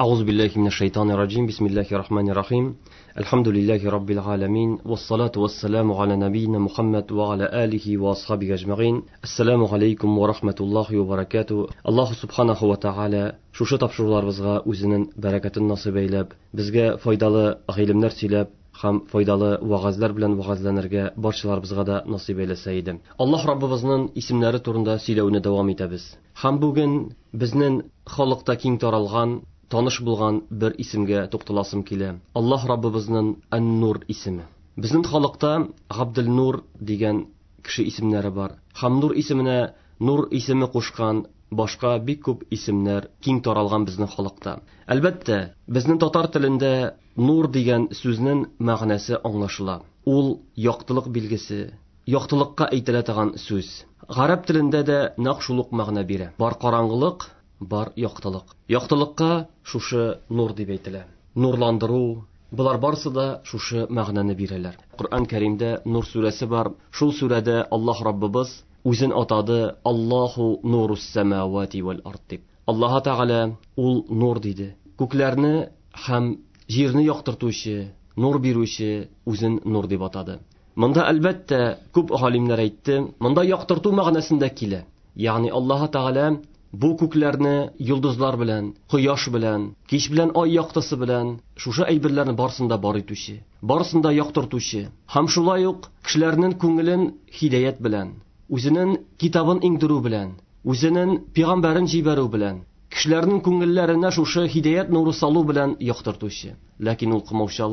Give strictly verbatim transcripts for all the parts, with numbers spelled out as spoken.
أعوذ بالله من الشيطان الرجيم. بسم الله الرحمن الرحيم. الحمد لله رب العالمين والصلاة والسلام على نبينا محمد وعلى آله وأصحابه أجمعين. السلام عليكم ورحمة الله وبركاته. Аллаһ سبحانه وتعالى шушы тапшыруларыбызга үзенең бәрәкәтен насыйп әйләп, безгә файдалы гыйлемнәр сөйләп һәм файдалы вәгазьләр белән вәгазьләнергә барчаларыбызга да насыйп әйләсә иде. Аллаһ Раббыбызның исемнәре турында сөйләүне дәвам итәбез. Һәм бүген безнең халыкта киң таралган, таныш булган бер исемгә тукталасым килә. Аллаһ Раббыбызның Ан-Нур исеме. Безнең халыкта Габдел-Нур дигән кеше исемнәре бар. Һәм Нур исеменә Нур исеме кушкан башка бик күп исемнәр киң таралган безнең халыкта. Әлбәттә, безнең татар телендә нур дигән сүзнең мәгънәсе аңлашыла. Ул яктылык билгесе, яктылыкка әйтелә торган сүз. Гарәп телендә дә нәкъ шул ук мәгънә бирә. Бар караңгылык, бар яктылык. Яктылыкка шушы нур дип әйтелә. Нурландыру, болар барысы да шушы мәгънәне бирәләр. Коръән Кәримдә Нур сүрәсе бар. Шул сүрәдә Аллаһ Раббыбыз үзен атады Аллаһу нурус самавати вал ард дип. Аллаһ Тәгалә ул нур диде. Күкләрне һәм җирне яктыртучы, нур бирүче үзен нур дип атады. Монда әлбәттә күп галимнәр әйтте, монда яктырту мәгънәсендә килә. Ягъни Аллаһ Тәгалә бу күкләрне йолдызлар белән, кояш белән, кич белән ай яктысы белән шушы әйберләрне барысын да бар итүче, барысын да яктыртучы һәм шулай ук кешеләрнең күңелен һидаят белән, үзенең китабын иңдерү белән, үзенең пәйгамбәрен җибәрү белән, кешеләрнең күңелләренә шушы һидаят нуры салу белән яктыртучы. Ләкин ул кымаучы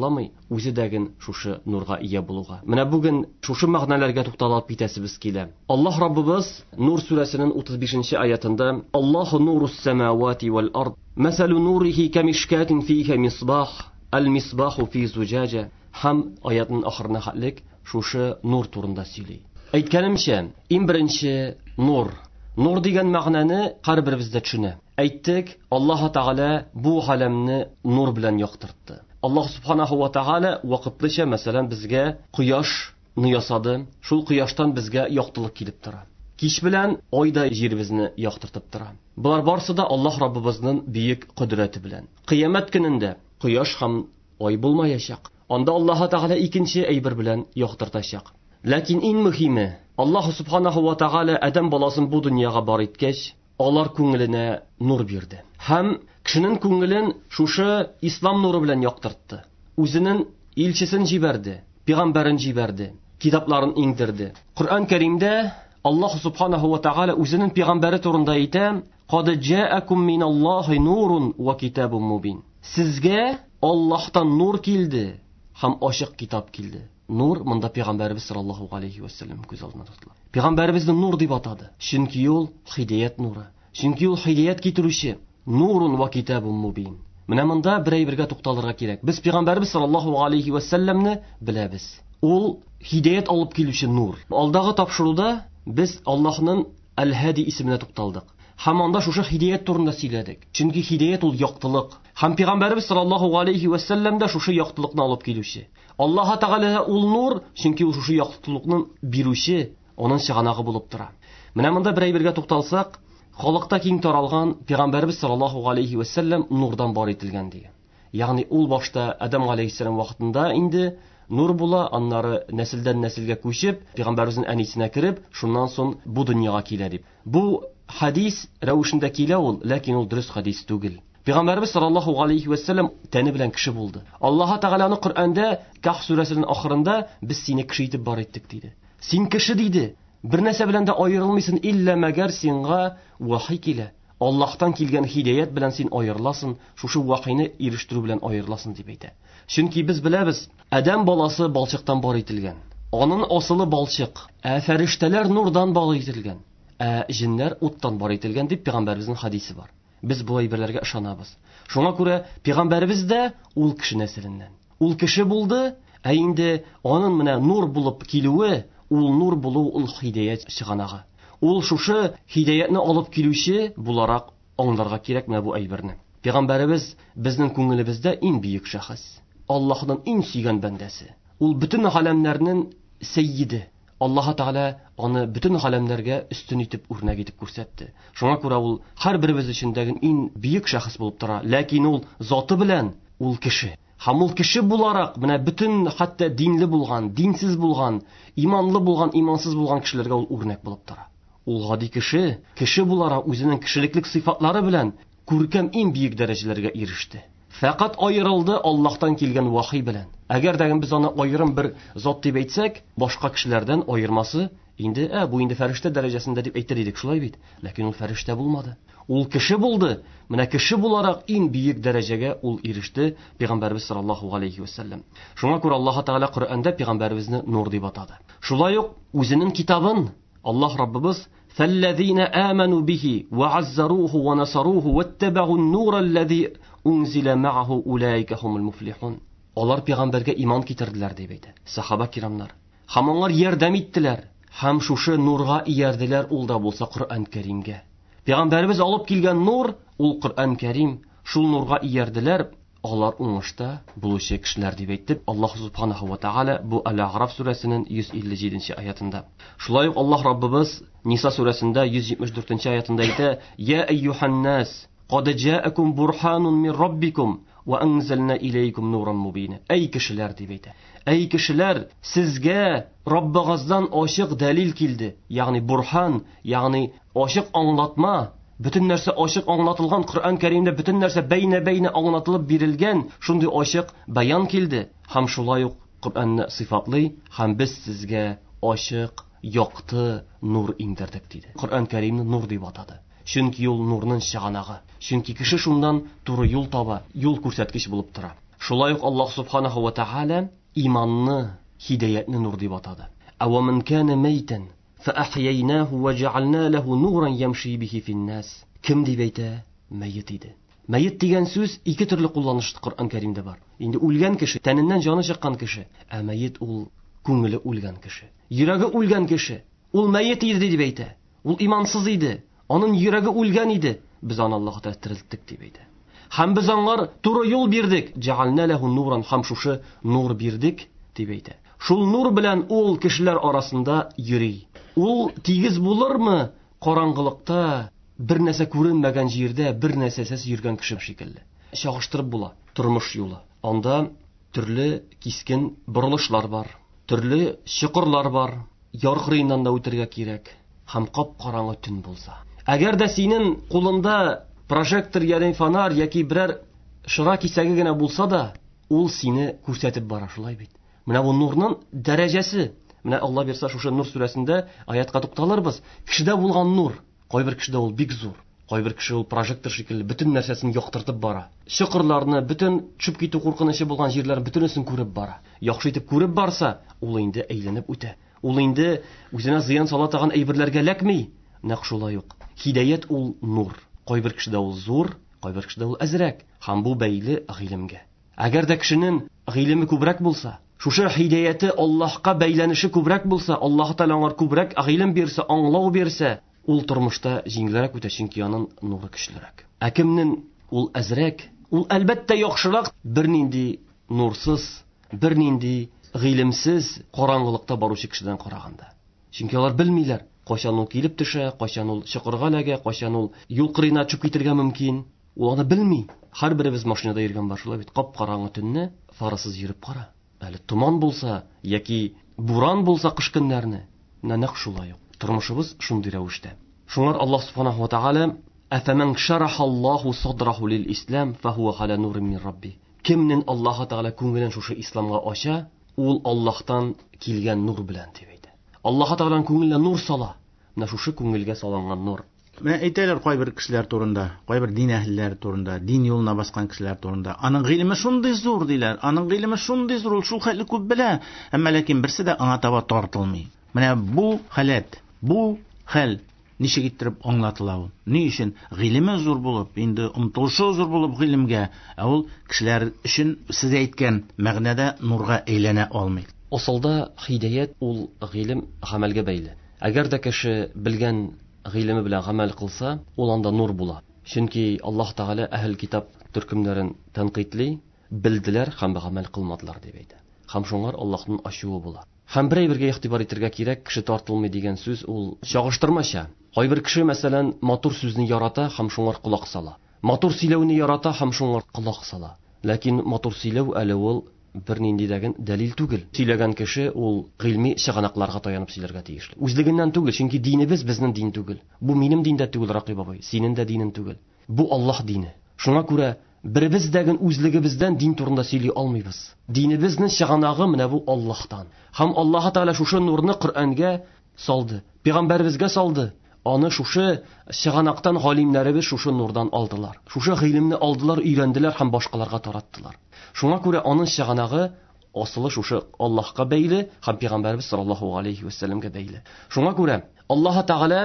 үзе дәген шушы нурга ия булуга. Менә бүген шушы мәгънәләргә тукталып китәсебез килә. Аллаһ Раббыбыз Нур сүрәсенең утыз бишенче аятында Аллаһу нурус самавати вал ард, масалу нурихи камишкатин фиха мисбах, аль-мисбаху фи зуҗаҗа. Һәм аятның ахырына хәтлек шушы нур турында сөйли. Әйткәнемчә, иң беренче нур. Нур дигән мәгънәне һәрберебез дә төшенә. Әйттек, Аллаһ Тәгалә бу галәмне нур белән яктыртты. Аллаһ субханаһу ва тәгалә вакытлыча, мәсәлән, безгә кояшны ясады. Шул кояштан безгә яктылык килеп тора. Кич белән ай да җиребезне яктыртып тора. Болар барысы да Аллаһ Раббыбызның бөек кодрәте белән. Кыямәт көнендә кояш һәм ай булмаячак. Анда Аллаһ Тәгалә икенче әйбер белән яктыртачак. Ләкин иң мөһиме, Аллаһ субханаһу ва тәгалә адәм баласын бу дөньяга бар иткәч, алар күңеленә нур бирде. Һәм кешенең күңелен шушы ислам нуры белән яктыртты. Үзенең илчесен җибәрде, пәйгамбәрен җибәрде, китапларын иңдерде. Коръән Кәримдә Аллаһ субханаһу ва тәгалә үзенең пәйгамбәре турында әйтә: "Кад җаакум миналлаһи нурун ва китабун мубин." Сезгә Аллаһтан нур килде һәм ачык китап килде. Нур монда пәйгамбәребез саллаллаһу алейхи ва саллям күз алдына тотыла. Пәйгамбәребезне нур дип атады. Чөнки ул һидаят нуры. Чөнки ул һидаят китерүче. Нурун ва китабун мубин. Менә монда бер әйбергә тукталырга кирәк. Без пәйгамбәребез саллаллаһу алейхи ва саллямны беләбез. Ул һидаят алып килүче нур. Алдагы тапшыруда без Аллаһның Әл-Һади исеменә тукталдык. Һәм анда шушы һидаят турында сөйләдек. Чөнки һидаят ул яктылык. Һәм пәйгамбәребез саллаллаһу алейхи ва саллям да шушы яктылыкны алып килүче. Аллаһ Тәгалә ул нур, чөнки ул шушы яктылыкны бирүче, аның чыганагы булып тора. Менә монда бер әйбергә тукталсак, халыкта киң таралган пәйгамбәребез саллаллаһу алейхи ва саллям нурдан бар ителгән дигән. Ягъни ул башта Адам алейхиссалам вакытында инде нур була, аннары нәселдән нәселгә күчеп, пәйгамбәребезнең әнисенә кереп, шуннан соң бу дөньяга килә дип. Бу хадис рәвешендә килә ул, ләкин ул дөрес хадис түгел. Пәйгамбәребез саллаллаһу алейхи ва саллям тәне белән кеше булды. Аллаһ Тәгаләне Коръәндә Каһф сүрәсенең ахырында без сине кеше итеп бар иттек диде. Син кеше диде. Бер нәрсә белән дә аерылмыйсың, иллә мәгәр сиңа вахи килә. Аллаһтан килгән һидаят белән син аерыласың, шушы вахины ирештерү белән аерыласың дип әйтә. Чөнки без беләбез, адәм баласы балчыктан бар ителгән. Аның асылы балчык, ә фәрештәләр нурдан бар ителгән, ә җиннәр уттан бар ителгән дип пәйгамбәребезнең хадисе бар. Без бу әйберләргә ышанабыз. Шуңа күрә пәйгамбәребез дә ул кеше нәселеннән. Ул кеше булды, ә инде аның менә нур булып килүе, ул нур булу ул һидаят чыганагы. Ул шушы һидаятны алып килүче буларак аңларга кирәк менә бу әйберне. Пәйгамбәребез безнең күңелебездә иң бөек шәхес. Аллаһның иң сөйгән бәндәсе. Ул бөтен галәмнәрнең сәййиде. Аллаһ Тәгалә аны бөтен галәмнәргә өстен итеп, үрнәк итеп күрсәтте. Шуңа күрә ул һәрберебез өчен дә иң бөек шәхес булып тора. Ләкин ул заты белән ул кеше. Һәм ул кеше буларак менә бөтен хәтта динле булган, динсез булган, иманлы булган, имансыз булган кешеләргә ул үрнәк булып тора. Ул гади кеше, кеше буларак үзенең кешелеклек сыйфатлары белән күркәм иң бөек дәрәҗәләргә иреште. Фәкать аерылды Аллаһтан килгән вахи белән. Әгәр дә без аны аерым бер зат дип әйтсәк, башка кешеләрдән аермасы инде, ә, бу инде фәрештә дәрәҗәсендә дип әйтер идек, шулай бит. Ләкин ул фәрештә булмады. Ул кеше булды. Менә кеше буларак иң бөек дәрәҗәгә ул иреште Пәйгамбәрбез саллаллаһу алейхи ва саллям. Шуңа күрә Аллаһ Тәгалә Коръәндә Пәйгамбәребезне нур дип атады. Шулай ук үзенең китабын Аллаһ Раббыбыз فَالَّذِينَ آمَنُوا بِهِ وَعَزَّرُوهُ وَنَصَرُوهُ وَاتَّبَعُوا النُّورَ الَّذِي أُنْزِلَ مَعَهُ أُولَٰئِكَ هُمُ الْمُفْلِحُونَ. Алар пәйгамбәргә иман китерделәр дип әйтә сахаба кирамнар. Һәм алар ярдәм иттеләр, һәм шушы нурга иярделәр, ул да булса Коръән Кәримгә. Пәйгамбәребез алып килгән нур ул Коръән Кәрим, шул нурга иярделәр, алар уңышта булучы кешеләр дип әйтте Аллаһ субханаһу ва тааля бу Әл-Ағраф сүрәсенең йөз илле җиденче аятында. Шулай ук Аллаһ Раббыбыз Ниса сүрәсендә йөз җитмеш дүртенче аятында әйтә: "Я әйюһан-нас, кад җаакум бурханун мин раббикум ва анзална иләйкум нуран мубина." Әй кешеләр дип әйтә. Әй кешеләр, сезгә Раббыгыздан ачык дәлил килде, ягъни бурхан, ягъни ачык аңлатма. Бөтен нәрсә ачык аңлатылган Коръән Кәримдә бөтен нәрсә бәйнә-бәйнә аңлатылып бирелгән, шундый ачык баян килде. Һәм шулай ук Коръәнне сыйфатлый, һәм без сезгә ачык, якты нур иңдердек диде. Коръән Кәримне нур дип атады. Чөнки ул нурның чыганагы. Чөнки кеше шуннан туры юл таба, юл күрсәткеч булып тора. Шулай ук Аллаһ субханаһу ва тааля иманны, һидаятны нур дип атады. Ава ман кана майтан فأحييناه وجعلنا له نورا يمشي به في الناس. Кем дип әйтә? Мәйет иде. Мәйет дигән сүз ике төрле кулланыш Коръән Кәримдә бар. Инде үлгән кеше, тәненнән җаны чыккан кеше, ә мәйет ул күңеле үлгән кеше, йөрәге үлгән кеше. Ул мәйет иде дип әйтә. Ул имансыз иде. Аның йөрәге үлгән иде. Без аны Аллаһ Тәгалә терелттек дип әйтә. Һәм без аңар туры юл бирдек. Җәгальна ләһу нуран, һәм шушы нур бирдек дип әйтә. Шул нур белән ул кешеләр арасында йөри. Ул тигез булырмы? Караңгылыкта, бер нәрсә күренмәгән җирдә, бер нәрсәсез йөргән кеше шикелле. Чагыштырып була тормыш юлы. Анда төрле кискен борылышлар бар, төрле чокырлар бар. Яр кырыеннан да үтергә кирәк. Һәм кап-караңгы төн булса. Әгәр дә синең кулыңда прожектор яки фонарь яки берәр шыра кисәге генә булса да, ул сине күрсәтеп бара, шулай бит. Менә бу нурның дәрәҗәсе. Менә Алла бирсә, шушы Нур сүрәсендә аятка тукталырбыз. Кешедә булган нур, кайбер кешедә ул бик зур, кайбер кеше ул прожектор шикелле бөтен нәрсәсен яктыртып бара. Чокырларны, бөтен төшеп китү куркынычы булган җирләрне бөтенесен күреп бара. Яхшы итеп күреп барса, ул инде әйләнеп үтә. Ул инде үзенә зыян сала торган әйберләргә эләкми. Нәкъ шулай ук. Һидаят ул нур. Кайбер кешедә ул зур, кайбер кешедә ул әзрәк. Һәм бу бәйле гыйлемгә. Әгәр дә кешенең гыйлеме күбрәк булса, шушы һидаяте Аллаһка бәйләнеше күбрәк булса, Аллаһ Тәгалә аңар күбрәк гыйлем бирсә, аңлау бирсә, ул тормышта җиңелрәк үтә, чөнки аның нуры көчлерәк. Ә кемнең ул әзрәк, ул әлбәттә яхшырак, бернинди нурсыз, бернинди гыйлемсез караңгылыкта баручы кешедән караганда. Чөнки алар белмиләр, кайчан ул килеп төшә, кайчан ул чокырга эләгә, кайчан ул юл кырыена төшеп китергә мөмкин. Ул аны белми. Һәрберебез машинада йөргән бар, шулай бит. Кап-караңгы төнне фарасыз йөреп кара. Әле томан булса яки буран булса кыш көннәрне, менә нәкъ шулай ук. Тормышыбыз шундый рәвештә. Шуңар Аллаһ субханаһу ва тааля: "Афаман шарахаллаһу садраху лил-ислам фахува аля нурин мин рабби." Кемнең Аллаһ Тәгалә күңелен шушы исламга ача, ул Аллаһтан килгән нур белән дип әйтә. Аллаһ Тәгаләнең күңеленә нур сала. Менә шушы күңелгә салынган нур. Менә әйтәләр кайбер кешеләр турында, кайбер дин әһелләре турында, дин юлына баскан кешеләр турында. Аның гыйлеме шундый зур диләр, аның гыйлеме шундый зур, ул шул хәтле күп белә, әмма ләкин берсе дә аңа таба тартылмый. Менә бу халәт, бу хәл ничек иттереп аңлатыла ул? Ни өчен гыйлеме зур булып, инде омтылышы зур булып гыйлемгә, ә ул кешеләр өчен сез әйткән мәгънәдә нурга әйләнә алмый? Асылда һидаят ул гыйлем гамәлгә бәйле. Әгәр дә кеше белгән гыйлеме белән гамәл кылса, ул анда нур була. Чөнки Аллаһ Тәгалә әһел китап төркемнәрен тәнкыйтьли, белделәр һәм гамәл кылмадылар дип әйтә. Һәм шуңар Аллаһның ачуы була. Һәм бер әйбергә игътибар итәргә кирәк, кеше тартылмый дигән сүз ул чагыштырмача. Кайбер кеше, мәсәлән, матур сүзне ярата һәм шуңар колак сала. Матур сөйләүне ярата һәм шуңар колак сала. Ләкин матур сөйләү әле ул бернинди дәген дәлил түгел. Сөйләгән кеше ул гыйльми чыганакларга таянып сөйләргә тиешле. Үзлегеннән түгел, чөнки динебез безнең дин түгел. Бу минем дин дә түгел, Ракыйп абый, синең дә динең түгел. Бу Аллаһ дине. Шуңа күрә беребез дәген үзлегебездән дин турында сөйли алмыйбыз. Динебезнең чыганагы менә бу Аллаһтан. Һәм Аллаһ Тәгалә шушы нурны Коръәнгә салды, пәйгамбәребезгә салды. Аны шушы чыганактан галимнәребез шушы нурдан алдылар. Шушы гыйлемне алдылар, өйрәнделәр һәм башкаларга тараттылар. Шуңа күрә аның чыганагы асылы шушы Аллаһка бәйле һәм пәйгамбәребез саллаллаһу алейхи ва сәлләмгә бәйле. Шуңа күрә Аллаһ Тәгалә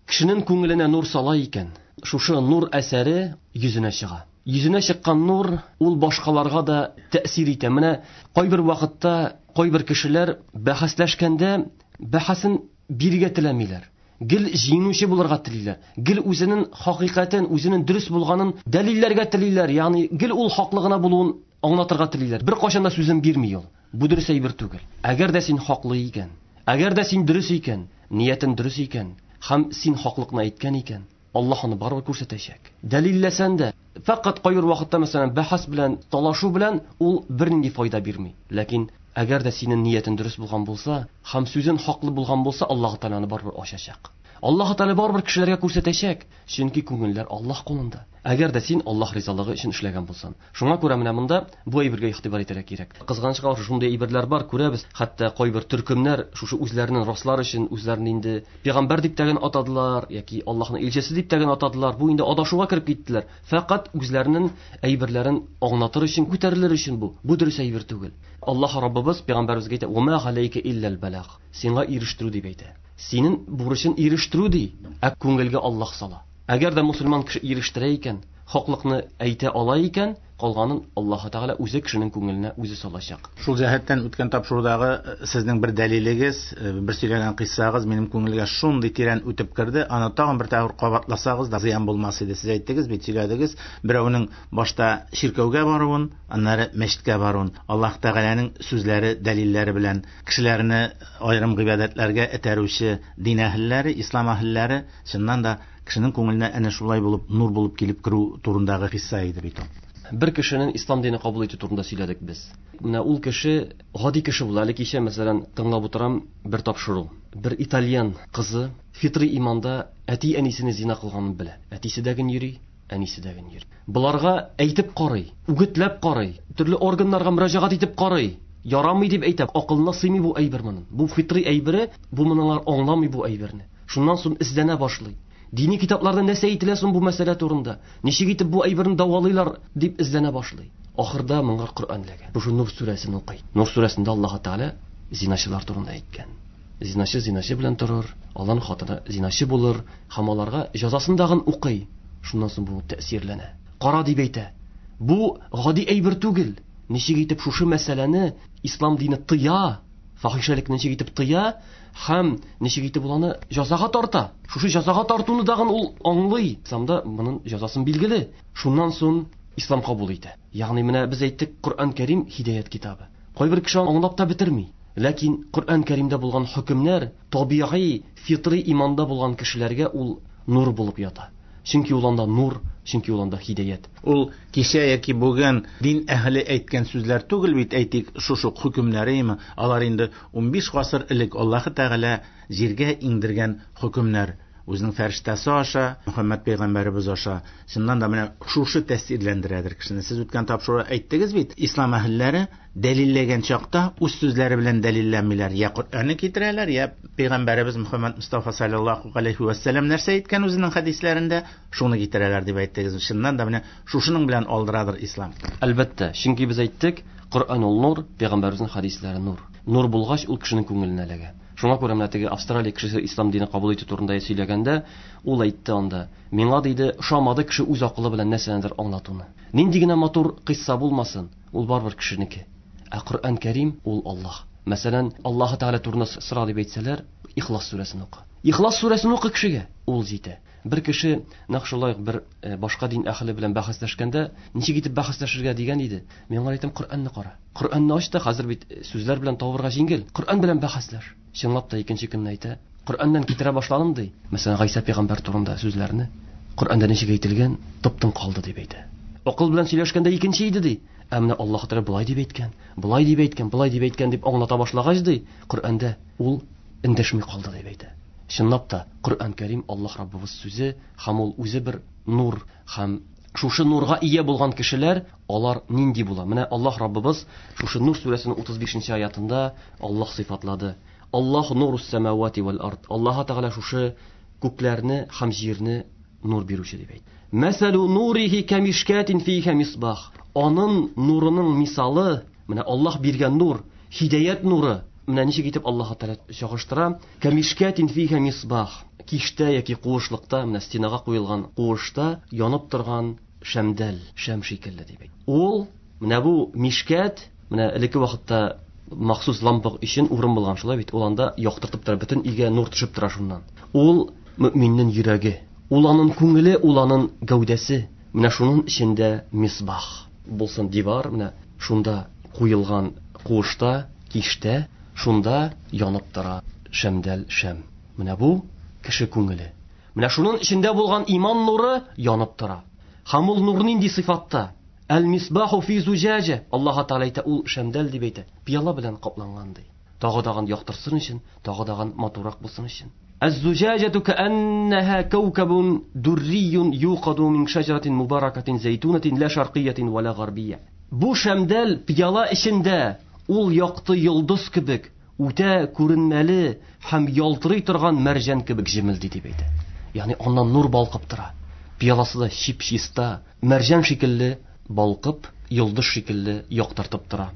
кешенең күңеленә нур сала икән, шушы нур әсәре йөзенә чыга. Йөзенә чыккан нур ул башкаларга да тәэсир итә. Менә кайбер вакытта кайбер кешеләр бәхәсләшкәндә бәхәсен бирергә теләмиләр. Гел җиңүче булырга телиләр. Гел үзенең хакыйкатен, үзенең дөрес булганын дәлилләргә телиләр. Ягъни гел ул хаклы гына булуын аңлатырга телиләр. Бер кайчан да сүзен бирми ул. Бу дөрес әйбер түгел. Әгәр дә син хаклы икән, әгәр дә син дөрес икән, ниятен дөрес икән, һәм син хаклыкны әйткән икән, Аллаһ аны барыбер күрсәтәчәк. Дәлилләсән дә, фәкать кайбер вакытта, мәсәлән, бәхәс белән, талашу белән ул бернинди файда бирми. Ләкин әгәр дә синең ниятең дөрес булган булса, һәм сүзең хаклы булган булса, Аллаһ Тәгалә аны барыбер ачачак. Аллаһ Тәгалә барыбер кешеләргә күрсәтәчәк, чөнки күңелләр Аллаһ кулында. Әгәр дә син Аллаһ ризалыгы өчен эшләгән булсаң. Шуңа күрә менә монда бу әйбергә игътибар итәргә кирәк. Кызганычка каршы шундый әйберләр бар, күрәбез, хәтта кайбер төркемнәр шушы үзләренең раслар өчен үзләрен инде пәйгамбәр дип тәген атадылар яки Аллаһның илчесе дип тәген атадылар. Бу инде адашуга кереп киттеләр. Фәкать үзләренең әйберләрен аңлатыр өчен, күтәрелер өчен бу. Бу дөрес әйбер түгел. Аллаһ Раббыбыз пәйгамбәребезгә әйтә: "Ва ма галәйкә илләл балаг." Сиңа ирештерү дип әйтә. Синең бурычын ирештерү ди, ә күңелгә Аллаһ сала. Әгәр дә мусульман кеше ирештерә икән, хаклыкны әйтә ала икән, калганын Аллаһ Тәгалә үзе кешенең күңеленә үзе салачак. Шул җәһәттән үткән тапшырудагы сезнең бер дәлилегез, бер сөйләгән кыйссагыз минем күңелгә шундый тирән үтеп керде. Аны тагын бер тапкыр кабатласагыз да зыян булмас иде. Сез әйттегез бит, сөйләдегез, берәүнең башта чиркәүгә баруын, аннары мәчеткә баруын, Аллаһ Тәгаләнең сүзләре, дәлилләре белән кешеләрне аерым гыйбадәтләргә этәрүче дин әһелләре, ислам әһелләре чыннан да кешенең күңеленә әнә шулай булып, нур булып килеп керү турындагы хисса иде бит ул. Бер кешенең ислам дине кабул итү турында сөйләдек без. Менә ул кеше гади кеше була. Әле кичә, мәсәлән, тыңлап утырам бер тапшыру. Бер итальян кызы фитри иманда әти-әнисене зина кылганын белә. Әтисе дә ген йөри, әнисе дә ген йөри. Буларга әйтеп карый, үгетләп карый, төрле органнарга мөрәҗәгать итеп карый. Ярамый дип әйтә, акылына сыймый бу әйбер моның. Бу фитри әйбере, бу моңар аңламый бу әйберне. Шуннан соң эзләнә башлый. Дини китапларда нәрсә әйтелә соң бу мәсьәлә турында? Ничек итеп бу әйберне дәвалыйлар дип эзләнә башлый. Ахырда моңа Коръән эләгә. Шушы Нур сүрәсен укый. Нур сүрәсендә Аллаһ Тәгалә зиначылар турында әйткән. Зиначы зиначы белән торыр, аларның хатыны зиначы булыр, һәм аларга җәзасын дагын укый. Шуннан соң бу тәэсирләнә. Кара дип әйтә. Бу гади әйбер түгел. Ничек итеп шушы мәсьәләне ислам дине тыя, фахишәлекне ничек итеп тыя һәм ничек итеп ул аны җәзага тарта. Шушы җәзага тартуны дагын ул аңлый. Исламда моның җәзасын билгеле. Шуннан соң ислам кабул итә. Ягъни менә без әйттек, Коръән Кәрим һидаят китабы. Кайбер кеше аңлап та бетерми. Ләкин Коръән Кәримдә булган хөкемнәр табигый, фитри иманда булган кешеләргә ул нур булып ята. Чөнки ул анда нур, чөнки ул анда һидаят. Ул кичә яки бүген дин әһеле әйткән сүзләр түгел бит, әйтик, шушы хөкемнәреме, алар инде унбиш гасыр элек Аллаһ Тәгалә җиргә иңдергән хөкемнәр. Үзенең фәрештәсе аша, Мөхәммәд пәйгамбәребез аша. Чыннан да менә шушы тәэсирләндерәдер кешене. Сез үткән тапшыруда әйттегез бит, ислам әһелләре дәлилләгән чакта үз сүзләре белән дәлилләмиләр. Я Коръәнне китерәләр, я пәйгамбәребез Мөхәммәд Мустафа саллаллаһу алейхи ва сәлләм нәрсә әйткән үзенең хәдисләрендә, шуны китерәләр дип әйттегез. Чыннан да менә шушының белән алдырадыр ислам. Әлбәттә, чөнки без әйттек, Коръән ул нур, пәйгамбәребезнең хәдисләре нур. Нур булгач, ул кешенең күңеленә эләгә. Шуңа күрә менә теге Австралия кешесе ислам дине кабул итү турында сөйләгәндә, ул әйтте анда, миңа диде, ошамады кеше үз акылы белән нәрсәнедер аңлатуны. Нинди генә матур кыйсса булмасын, ул барыбер кешенеке. Ә Коръән Кәрим ул Аллаһ. Мәсәлән, Аллаһ Тәгалә турында сора дип әйтсәләр, Ихлас сүрәсен укы. Ихлас сүрәсен укы кешегә, ул җитә. Бер кеше нәкъ шулай бер башка дин әһеле белән бәхәсләшкәндә, ничек итеп бәхәсләшергә дигән иде. Мин аңа әйтәм, Коръәнне кара. Коръәнне ач та, хәзер бит сүзләр белән табырга җиңел. Коръән белән бәхәсләш. Чынлап та икенче көнне әйтә, Коръәннән китерә башладым ди. Мәсәлән, Гайсә пәйгамбәр турында сүзләрне Коръәндә ничек әйтелгән, топтың калды дип әйтә. Акыл белән сөйләшкәндә икенче иде ди. Ә менә Аллаһ Тәгалә болай дип әйткән, болай дип әйткән, болай дип әйткән дип аңлата башлагач ди, Коръәндә ул эндәшми калды дип әйтә. Чынлап та Коръән Кәрим Аллаһ Раббыбыз сүзе һәм ул үзе бер нур, һәм шушы нурга ия булган кешеләр, алар нинди була? Менә Аллаһ Раббыбыз шушы Нур сүрәсенең утыз бишенче аятында Аллаһ сыйфатлады. Аллаһ нурус самавати вал ард. Аллаһ Тәгалә шушы күкләрне һәм җирне нур бирүче дип әйтте. Мәсәлу нурихи камишкатин фиха мисбах. Аның нурының мисалы, менә Аллаһ биргән нур, һидаят нуры. Менә ничек итеп Аллаһ Тәгалә чагыштыра? Камишкатин фиха мисбах. Киштә яки куышлыкта, менә стенага куелган куышта янып торган шәмдәл, шәм шикелле дип әйтте. Ул менә бу мишкәт, менә элекке вакытта махсус лампа өчен урын булган, шулай бит, ул анда яктыртып тора, бөтен өйгә нур төшеп тора шуннан. Ул мөминнең йөрәге, ул аның күңеле, ул аның гәүдәсе. Менә шуның эчендә мисбах булсын дивар, менә шунда куелган куышта, киштә, шунда янып тора шәмдәл, шәм. Менә бу кеше күңеле. Менә шуның эчендә булган иман нуры янып тора. Һәм ул нур нинди сыйфатта? Әл-мисбаху фи зуҗаҗа. Аллаһ Тәгалә әйтә, ул шәмдәл дип әйтә. Пыяла белән капланган ди. Тагы дагын яктырсын өчен, тагы дагын матуррак булсын өчен. Әз-зуҗаҗату кааннаһа каукабун дуррийун юқаду мин шаҗаратин мубаракатин зайтунатин ла шарқиятин ва ла гарбия. Бу шәмдәл пыяла эчендә ул якты йолдыз кебек, үтә күренмәле һәм ялтырый торган мәрҗән кебек җемелди дип әйтә. Ягъни аннан нур балкып тора. Пыяласы да чип-чиста, мәрҗән шикелле балкып, йолдыз шикелле яктыртып тора.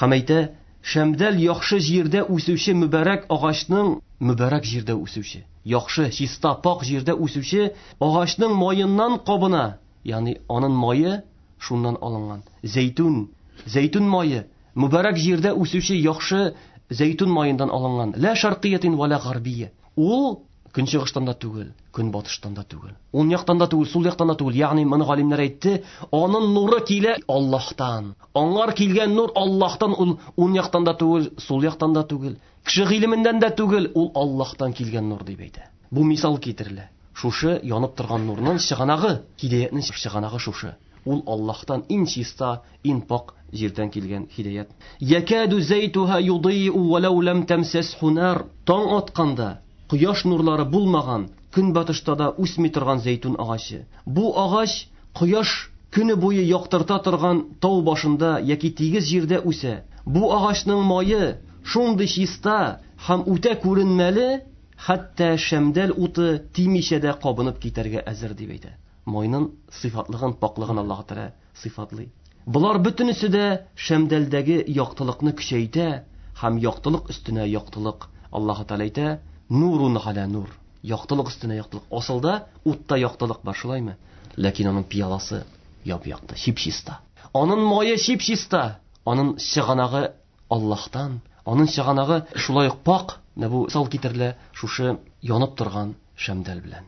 Һәм әйтә, шәмдәл яхшы җирдә үсүче мөбарәк агачның, мөбарәк җирдә үсүче, яхшы, чиста, пак җирдә үсүче агачның маеннан кабына, ягъни аның мае шуннан алынган. Зәйтүн, зәйтүн мае, мөбарәк җирдә үсүче яхшы зәйтүн маендан алынган. Ла шарқиятин ва ла гарбия. Ул көнчыгыштан да түгел, көнбатыштан да түгел, уң яктан да түгел, сул яктан да түгел. Ягъни моны галимнәр әйтте, аның нуры килә Аллаһтан. Аңар килгән нур Аллаһтан, ул уң яктан да түгел, сул яктан да түгел, кеше гыйлеменнән дә түгел, ул Аллаһтан килгән нур дип әйтә. Бу мисал китерелә. Шушы янып торган нурның чыганагы, һидаятның чыганагы шушы. Ул Аллаһтан иң чиста, иң пак җирдән килгән һидаят. Якаду зайтуха юдыйу валау лам тамсасху нар. Таң атканда кояш нурлары булмаган, көнбатышта да үсми торган зәйтүн агачы. Бу агач кояш көне буе яктырта торган тау башында яки тигез җирдә үсә. Бу агачның мае шундый чиста һәм үтә күренмәле, хәтта шәмдәл уты тимичә дә кабынып китәргә әзер дип әйтә. Майның сыйфатлыгын, паклыгын Аллаһ Тәгалә сыйфатлый. Болар бөтенесе дә шәмдәлдәге яктылыкны көчәйтә һәм яктылык өстенә яктылык. Аллаһ Тәгалә әйтә, нурун аля нур. Яктылык өстенә яктылык. Асылда утта яктылык бар, шулаймы? Ләкин аның пыяласы яп-якты, чип-чиста. Аның мае чип-чиста. Аның чыганагы Аллаһтан, аның чыганагы шулай ук пак. Менә бу мисал китерелә шушы янып торган шәмдәл белән.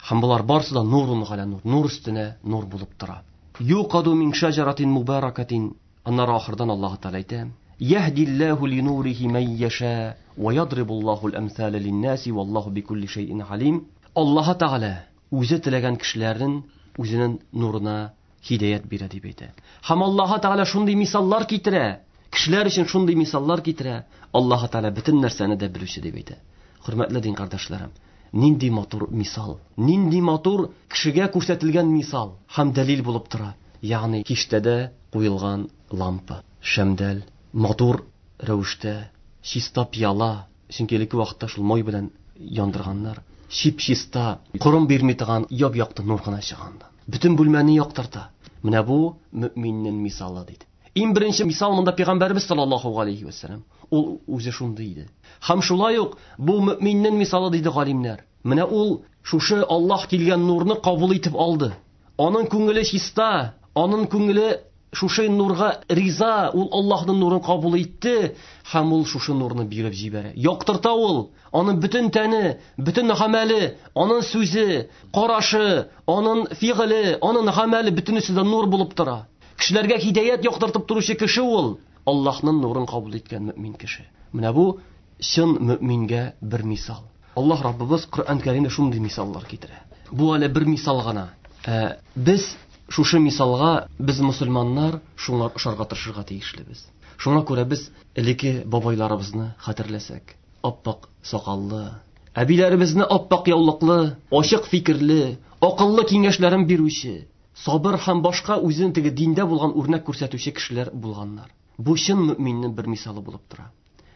Һәм болар барысы да нурун аля нур, нур өстенә нур булып тора. Юқаду мин шаҗаратин мубаракатин. Аннары ахырдан Аллаһ Тәгалә әйтә: Яһдиллаһу линурихи ман яша ва ядрибуллаһу ал-амсала лин-наси валлаһу бикулли шәйин алим. Аллаһ Тәгалә үзе теләгән кешеләрнең үзенең нурына һидаят бирә дип әйтә. Һәм Аллаһ Тәгалә шундый мисаллар китерә, кешеләр өчен шундый мисаллар китерә. Аллаһ Тәгалә бөтен нәрсәне дә белүче дип әйтә. Хөрмәтле дин кардәшләрем, нинди матур мисал, нинди матур кешегә күрсәтелгән мисал һәм дәлил булып тора. Ягъни киштәдә куелган лампа, шәмдәл, матур рәвештә, чиста пыяла, чөнки элекке вакытта шул май белән яндырганнар. Чип-чиста, корым бирми торган яп-якты нур гына чыганда. Бөтен бүлмәне яктырта. Менә бу мөминнең мисалы диде. Иң беренче мисал монда пәйгамбәрбез саллаллаһу алейхи ва саллям. Ул үзе шундый иде. Һәм шулай ук бу мөминнең мисалы диде галимнәр. Менә ул шушы Аллаһ килгән нурны кабул итеп алды. Аның күңеле чиста, аның күңеле шушы нурга риза, ул Аллаһның нурын кабул итте һәм ул шушы нурны биреп җибәрә. Яктырта ул, аның бөтен тәне, бөтен гамәле, аның сүзе, карашы, аның фигыле, аның гамәле бөтенесе дә нур булып тора. Кешеләргә һидаят яктыртып торучы кеше ул Аллаһның нурын кабул иткән мөмин кеше. Менә бу чын мөмингә бер мисал. Аллаһ Раббыбыз Коръән Кәримдә шундый мисаллар китерә. Бу әле бер мисал гына. Ә, без шушы мисалга без мусульманнар шуңа ошарга тырышырга тиешлебез. Шуңа күрә без элекке бабайларыбызны хәтерләсәк, аппак сакаллы, әбиләребезне аппак яулыклы, ачык фикерле, акыллы киңәшләрен бирүче, сабыр һәм башка үзен теге диндә булган үрнәк күрсәтүче кешеләр булганнар. Бу чын мөминнең бер мисалы булып тора.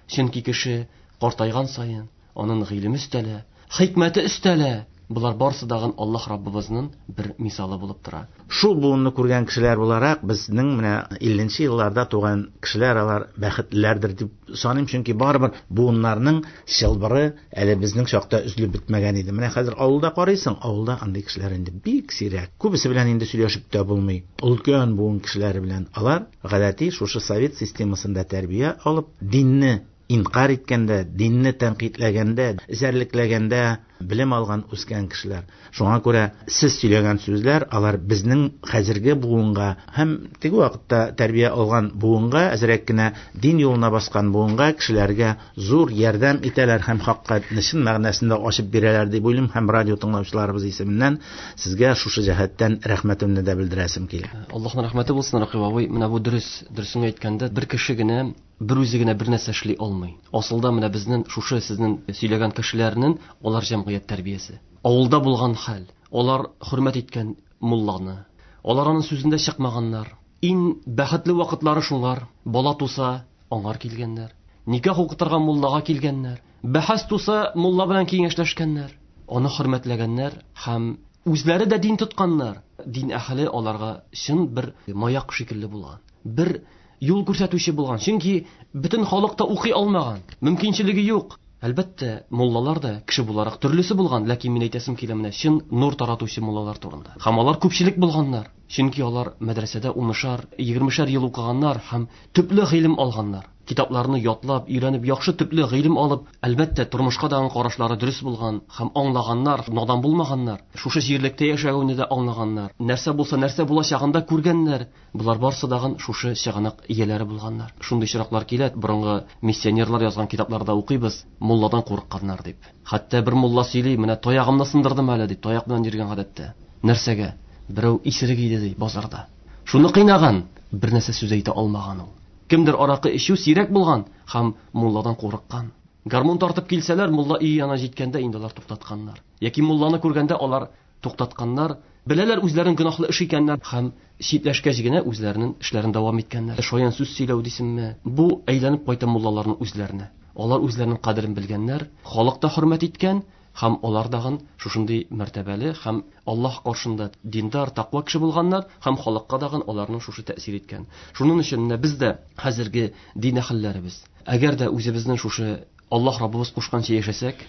Чөнки кеше картайган саен аның гыйлеме өстәлә, хикмәте өстәлә. Булар барысы дагын Аллаһ Раббыбызның бер мисалы булып тора. Шул буынны күргән кешеләр буларак, безнең менә илленче елларда туган кешеләр алар бәхетлеләрдер дип саныйм, чөнки барыбер буыннарның чылбыры әле безнең чакта өзелеп бетмәгән иде. Менә хәзер авылда карыйсың, авылда андый кешеләр инде бик сирәк. Күбесе белән инде сөйләшеп тә булмый. Өлкән буын кешеләре белән алар гадәти шушы совет системасында тәрбия алып, динне инкар иткәндә, динне тәнкыйтьләгәндә, эзәрлекләгәндә белем алган үскән кешеләр. Шуңа күрә сез сөйләгән сүзләр алар безнең хәзерге буынга һәм теге вакытта тәрбия алган буынга, әзрәк кенә дин юлына баскан буынга, кешеләргә зур ярдәм итәләр һәм хакыйкатьне чын мәгънәсендә ачып бирәләр дип уйлыйм һәм радио тыңлаучыларыбыз исеменнән сезгә шушы җәһәттән рәхмәтемне дә белдерәсем килә. Аллаһның рәхмәте булсын, Рәкыйп абый. Менә бу дөрес, дөресен әйткәндә, бер кеше генә бер үзе генә бер нәрсә эшли алмый. Асылда менә безнең шушы сезнең сөйләгән кешеләрнең алар җәмгыять тәрбиясе. Авылда булган хәл, алар хөрмәт иткән мулланы, алар аның сүзендә чыкмаганнар. Иң бәхетле вакытлары шуңар, бала туса, аңар килгәннәр. Никах укытырга муллага килгәннәр. Бәхәс туса, мулла белән киңәшләшкәннәр. Аны хөрмәтләгәннәр һәм үзләре дә дин тотканнар. Дин әһеле аларга чын бер маяк шикелле булган. Бер юл күрсәтүче булган. Чөнки бөтен халык та укый алмаган, мөмкинчелеге юк. Әлбәттә, муллалар да кеше буларак төрлесе булган, ләкин мин әйтәсем килә менә чын нур таратучы муллалар турында. Һәм алар күпчелек булганнар. Чөнки алар мәдрәсәдә унышар, егермешәр ел укыганнар һәм төпле гыйлем алганнар. Китапларны ятлап, өйрәнеп, яхшы төпле гыйлем алып, әлбәттә, тормышка дагы карашлары дөрес булган һәм аңлаганнар, надан булмаганнар. Шушы җирлектә яшәүне дә аңлаганнар. Нәрсә булса, нәрсә булачагын да күргәннәр. Булар барсы дагы шушы чыганак ияләре булганнар. Шундый очраклар килә, борынгы миссионерлар язган китапларда укыйбыз, мулладан курыкканнар дип. Хәтта бер мулла сөйли, менә таягымны сындырдым әле дип, таяк белән йөргән гадәттә. Нәрсәгә? Берәү исерек иде ди базарда. Шуны кыйнаган, бер нәрсә сүз әйтә алмаган ул. Кемдер аракы эчү сирәк булган һәм мулладан курыккан. Гармун тартып килсәләр, мулла өй янына җиткәндә инде алар туктатканнар. Яки мулланы күргәндә алар туктатканнар. Беләләр үзләренең гөнаһлы эш икәннәр һәм читләшкәч генә үзләренең эшләрен дәвам иткәннәр. Шаян сүз сөйләү дисеңме? Бу әйләнеп кайта муллаларның үзләренә. Алар үзләренең кадерен белгәннәр, халык та хөрмәт иткән һәм алар дагын шушындый мәртәбәле һәм Аллаһ каршында диндар, тәкъва кеше булганнар һәм халыкка дагын аларның шушы тәэсир иткән. Шуның өчен менә без дә хәзерге дин әһелләребез, әгәр дә үзебезнең шушы Аллаһ Раббыбыз кушканча яшәсәк,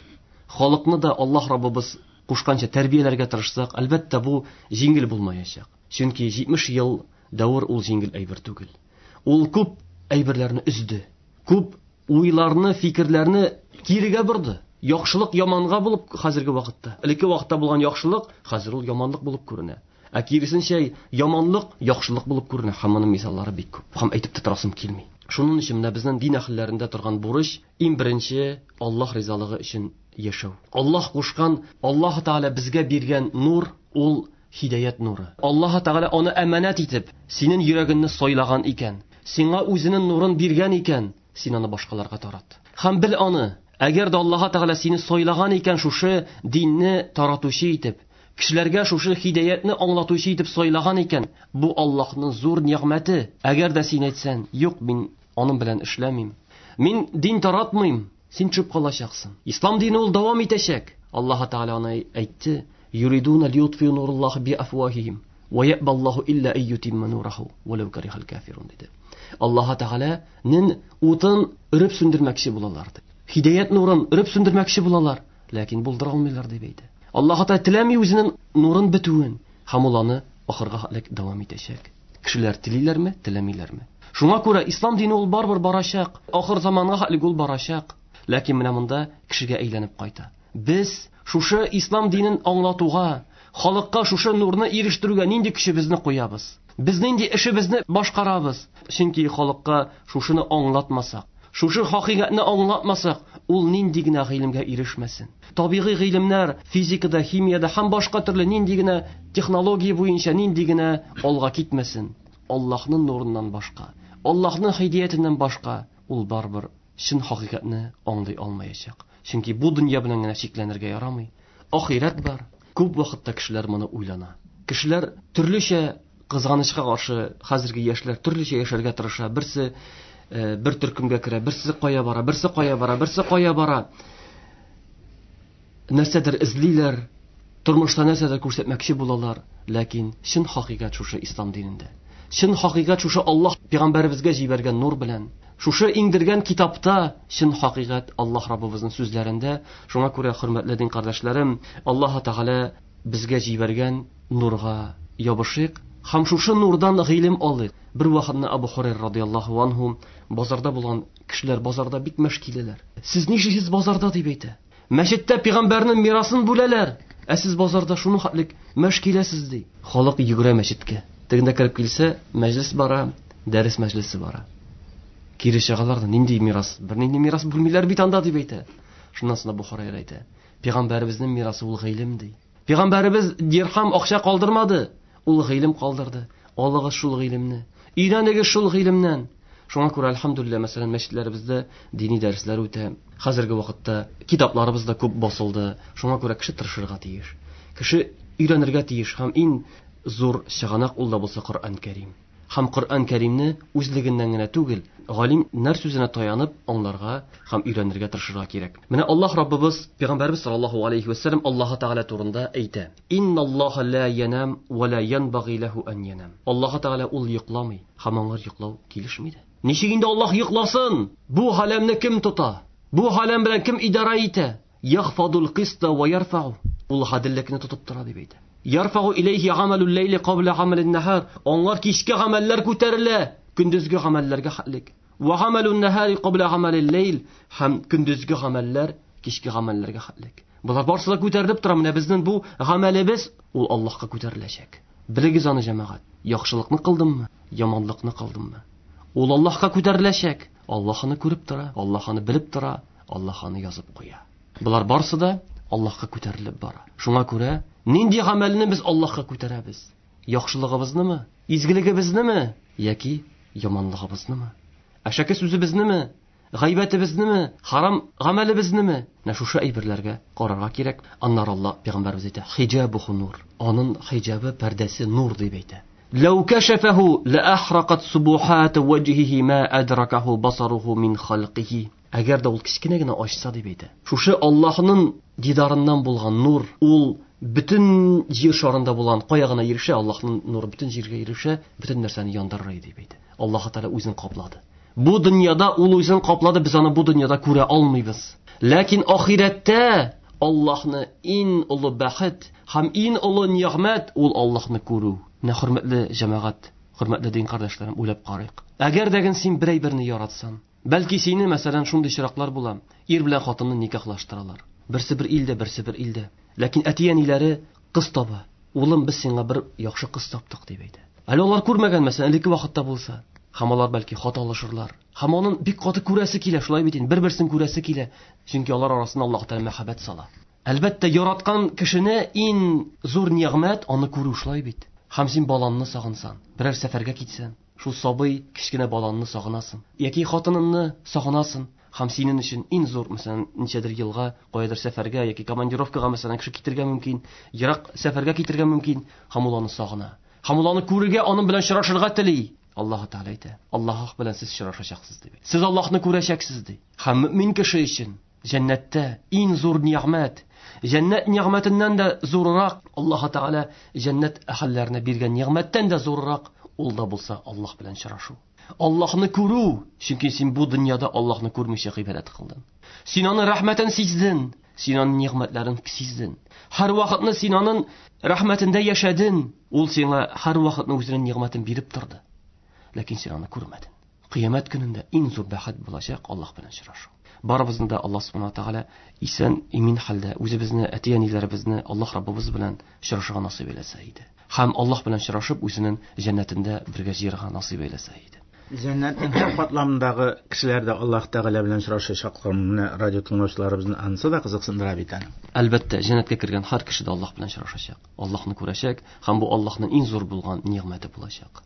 халыкны да Аллаһ Раббыбыз кушканча тәрбияләргә тырышсак, әлбәттә, бу җиңел булмаячак. Чөнки җитмеш ел дәвер ул җиңел әйбер түгел. Ул күп әйберләрне өзде, күп уйларны, фикерләрне кирегә борды. Яхшылык яманга булып хәзерге вакытта. Элекке вакытта булган яхшылык хәзер ул яманлык булып күренә. Ә киресенчә яманлык яхшылык булып күренә. Һәм моның мисаллары бик күп. Һәм әйтеп тә торасым килми. Шуның өчен менә безнең дин әһелләрендә торган бурыч иң беренче Аллаһ ризалыгы өчен яшәү. Аллаһ кушкан, Аллаһ Тәгалә безгә биргән нур ул һидаят нуры. Аллаһ Тәгалә аны әманәт итеп, синең йөрәгеңне сайлаган икән, сиңа үзенең нурын биргән икән, син аны башкаларга тарат. Һәм бел аны, әгәр дә Аллаһ Тәгалә сине сайлаган икән шушы динне таратучы итеп, кешеләргә шушы һидаятны аңлатучы итеп сайлаган икән, бу Аллаһның зур нигъмәте. Әгәр дә син әйтсәң, юк, мин аның белән эшләмим, мин дин таратмыйм, син төшеп калачаксың. Ислам дине ул дәвам итәчәк. Аллаһ Тәгалә аны әйтте: "Юридуна лиютфиу нураллаһи би афвахихим ва яъбаллаһу илля ай ютимма нураху ва лау карихал кафирун" диде. Аллаһ Тәгаләнең утын өреп сүндермәкче булалар дип. Һидаят нурын өреп сүндермәкче булалар, ләкин булдыра алмыйлар дип әйтте. Аллаһ Тәгалә теләми үзенең нурын бетүен, һәм ул аны ахырга хәтлек дәвам итәчәк. Кешеләр телиләрме, теләмиләрме? Шуңа күрә ислам дине ул барыбер барачак. Ахыр заманга хәтлек ул барачак. Ләкин менә монда кешегә әйләнеп кайта. Без шушы ислам динен аңлатуга, халыкка шушы нурны ирештерүгә нинди көчебезне куябыз? Без нинди эшебезне башкарабыз? Чөнки халыкка шушыны аңлатмасак, шушы хакыйкатьне аңлатмасак, ул нинди генә гыйлемгә ирешмәсен. Табигый гыйлемнәр, физикада, химияда һәм башка төрле нинди генә технология буенча нинди генә алга китмәсен, Аллаһның нурыннан башка, Аллаһның һидәятеннән башка ул барыбер чын хакыйкатьне аңлый алмаячак. Чөнки бу дөнья белән генә чикләнергә ярамый. Ахирәт бар. Күп вакытта кешеләр моны уйлана. Кешеләр төрлечә, кызганычка каршы, хәзерге яшьләр төрлечә яшәргә тырыша. Берсе бер төркемгә керә, берсе кая бара, берсе кая бара, берсе кая бара. Нәрсәдер эзлиләр, тормышта нәрсәдер күрсәтмәкче булалар, ләкин чын хакыйкать шушы ислам динендә. Чын хакыйкать шушы Аллаһ пәйгамбәребезгә җибәргән нур белән. Шушы иңдергән китапта чын хакыйкать Аллаһ Раббыбызның сүзләрендә. Шуңа күрә, хөрмәтле дин кардәшләрем, Аллаһ Тәгалә безгә җибәргән нурга ябышыйк һәм шушы нурдан гыйлем алыйк. Бер вакытны Абу Хурайра радияллаһу анһу базарда булган кешеләр базарда бик мәш киләләр. Сез нишлисез базарда дип әйтә. Мәчеттә пәйгамбәрнең мирасын бүләләр, ә сез базарда шуны хәтлек мәш киләсез ди. Халык йөгерә мәчеткә. Тегендә кереп килсә, мәҗлес бара, дәрес мәҗлесе бара. Кире чыгалар да, нинди мирас? Бер нинди мирас бүлмиләр бит анда дип әйтә. Шуннан соң Абу Хурайра әйтә: Пәйгамбәребезнең мирасы ул гыйлем ди. Пәйгамбәребез дирхам акча калдырмады, ул гыйлем калдырды. Алыгыз шул гыйлемне, өйрәнегез шул гыйлемнән. Шуңа күрә әлхәмдүлилләһ, мәсәлән, мәчетләребездә дини дәресләр үтә. Хәзерге вакытта китапларыбыз да күп басылды. Шуңа күрә кеше тырышырга тиеш. Кеше өйрәнергә тиеш һәм иң зур чыганак ул да булса Коръән Кәрим. Һәм Коръән Кәримне үзлегеннән генә түгел, галимнәр сүзенә таянып аңларга һәм өйрәнергә тырышырга кирәк. Менә Аллаһ Раббыбыз, Пәйгамбәребез саллаллаһу алейхи ва саллям Аллаһ Тәгалә турында әйтә: Инналлаһа ла янам ва ла янбагый лаху ан янам. Аллаһ Тәгалә ул йокламый, һәм аңа йоклау килешми дә. Ничек инде Аллаһ йокласын? Бу галәмне кем тота? Бу галәм белән кем идара итә? Яхфадул киста ва ярфау. Ул гаделлекне тотып тора дип әйтә. Ярфау илейхи гамалул лейли кабла гамалин нахар. Аңлар кичке гамәлләр күтәрелә, көндезге гамәлләргә хәтлек. Ва гамалун нахари кабла гамалил лейл. Һәм көндезге гамәлләр кичке гамәлләргә хәтлек. Булар барысы да күтәрелеп тора. Менә безнең бу гамәлебез ул Аллаһка күтәреләчәк. Белегез аны, җәмәгать. Яхшылыкны кылдыммы, яманлыкны кылдыммы? Ул Аллаһка күтәреләчәк. Аллаһ аны күреп тора, Аллаһ аны белеп тора, Аллаһ аны язып куя. Булар барысы да Аллаһка күтәрелеп бара. Шуңа күрә нинди гамәлне без Аллаһка күтәрәбез? Яхшылыгыбызнымы, изгелегебезнеме яки яманлыгыбызнымы? Әшәке сүзебезнеме, гайбәтебезнеме, харам гамәлебезнеме? Менә шушы әйберләргә карарга кирәк. Аннары Аллаһ пәйгамбәребез әйтә: хиҗабуху нур. Аның хиҗабы, пәрдәсе нур дип әйтә. Лау кашафаху ла ахрaqat субухат ваҗһиһи ма адракаху басаруһу мин халқиһи. Әгәр дә ул кечкенә генә ачса дип әйтә. Шушы Аллаһның дидарыннан булган нур, ул бөтен җир шарында булган кая гына ирешә, Аллаһның нуры бөтен җиргә ирешә, бөтен нәрсәне яндырыр дип әйтә. Аллаһ Тәгалә үзен каплады. Бу дөньяда ул үзен каплады, без аны бу дөньяда күрә алмыйбыз. Ләкин ахирәттә Аллаһны иң олы бәхет һәм иң олы нигъмәт ул Аллаһны күрү. Менә хөрмәтле җәмәгать, хөрмәтле дин кардәшләрем, уйлап карыйк. Әгәр дә син берәй берне яратсаң, бәлки сине, мәсәлән, шундый чираклар була, ир белән хатынны никахлаштыралар. Берсе бер илдә, берсе бер илдә. Ләкин әти-әниләре кыз таба. Улым, без сиңа бер яхшы кыз таптык дип әйтә. Әле алар күрмәгән, мәсәлән, элекке вакытта булса, һәм алар бәлки хат алышырлар. Һәм аның бик каты күрәсе килә, шулай бит инде, бер-берсен күрәсе килә. Чөнки алар арасында Аллаһ Тәгалә мәхәббәт сала. Әлбәттә, яраткан кешене иң зур нигъмәт аны күрү, шулай бит. Һәм син балаңны сагынсаң, берәр сәфәргә китсәң, шул сабый кечкенә балаңны сагынасың, яки хатыныңны сагынасың. Һәм синең өчен иң зур, мәсәлән, ничәдер елга каядыр сәфәргә яки командировкага, мәсәлән, кеше китергә мөмкин, ерак сәфәргә китергә мөмкин, һәм ул аны сагына. Һәм ул аны күрергә, аның белән очрашырга тели. Аллаһ Тәгалә әйтә: Аллаһ белән сез очрашачаксыз дип. Сез Аллаһны күрәчәксез ди. Һәм мөмин кеше өчен җәннәттә иң зур нигъмәт, җәннәт нигъмәтеннән дә зуррак, Аллаһ Тәгалә җәннәт әһелләренә биргән нигъмәттән дә зуррак ул да булса Аллаһ белән очрашу. Аллаһны күрү, чөнки син бу дөньяда Аллаһны күрмичә гыйбадәт кылдың. Син аның рәхмәтен сиздең. Син аның нигъмәтләрен сиздең. Һәр вакытны син аның рәхмәтендә яшәдең. Ул сиңа һәр вакытны үзенең нигъмәтен биреп торды. Ләкин син аны күрмәдең. Кыямәт көнендә иң зур бәхет булачак Аллаһ белән очрашу. Барыбызны да Аллаһ Субхану ва Тааля исән, имин хәлдә үзебезне, әти-әниләребезне Аллаһ Раббыбыз белән очрашырга насыйп әйләсә иде. Һәм Аллаһ белән очрашып үзенең җәннәтендә бергә җыярга насыйп әйләсә иде. Җәннәтнең һәр катламындагы кешеләр дә Аллаһ Тәгалә белән очрашачаклар. Менә радио тыңлаучыларыбызны анысы да кызыксындыра бит әле. Әлбәттә, җәннәткә кергән һәр кеше дә Аллаһ белән очрашачак. Аллаһны күрәчәк һәм бу Аллаһның иң зур булган нигъмәте булачак.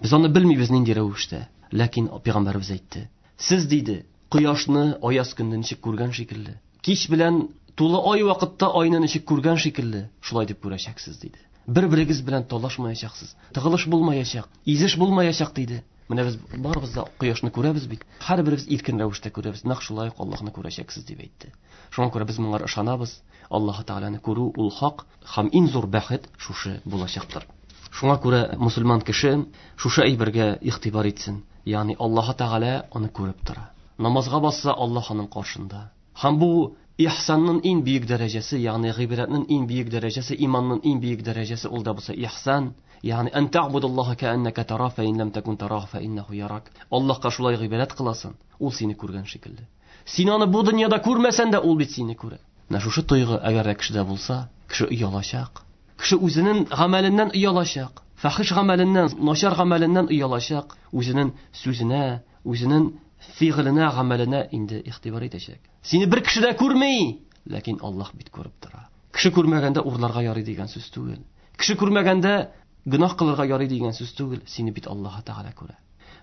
Без аны белмибез нинди рәвештә, ләкин пәйгамбәребез әйтте. Сез диде, кояшны аяз көнне ничек күргән шикелле, кич белән тулы ай вакытта айны ничек күргән шикелле, шулай дип күрәчәксез диде. Бер-берегез белән талашмаячаксыз, тыгылыш булмаячак, изеш булмаячак диде. Менә без барыбыз да кояшны күрәбез бит. Һәрберебез иркен рәвештә күрәбез. Нәкъ шулай ук Аллаһны күрәчәксез дип әйтте. Шуңа күрә без моңа ышанабыз. Аллаһ Тәгаләне күрү ул хак һәм иң зур бәхет шушы булачактыр. Шуңа күрә мусульман кеше шушы әйбергә игътибар итсен. Ягъни Аллаһ Тәгалә аны күреп тора. Намазга басса Аллаһ аның каршында. Һәм бу ихсанның иң бөек дәрәҗәсе, ягъни гыйбадәтнең иң бөек дәрәҗәсе, иманның иң бөек дәрәҗәсе ул да булса ихсан. Ягъни ан та'будаллаһа кa'аннака тараһу фа ин лам такун тараһу фа иннаху ярак. Аллаһка шулай гыйбадәт кыласың, ул сине күргән шикелле. Син аны бу дөньяда күрмәсәң дә ул бит сине күрә. Менә шушы тойгы әгәр дә кешедә булса, кеше оялачак. Кеше үзенең гамәленнән оялачак. Фахиш гамәленнән, начар гамәленнән оялачак. Үзенең сүзенә, үзенең фигыленә, гамәленә инде игътибар итәчәк. Сине бер кеше дә күрми, ләкин Аллаһ бит күреп тора. Кеше күрмәгәндә урларга ярый дигән сүз түгел. Кеше күрмәгәндә гөнаһ кылырга ярый дигән сүз түгел. Сине бит Аллаһ Тәгалә күрә.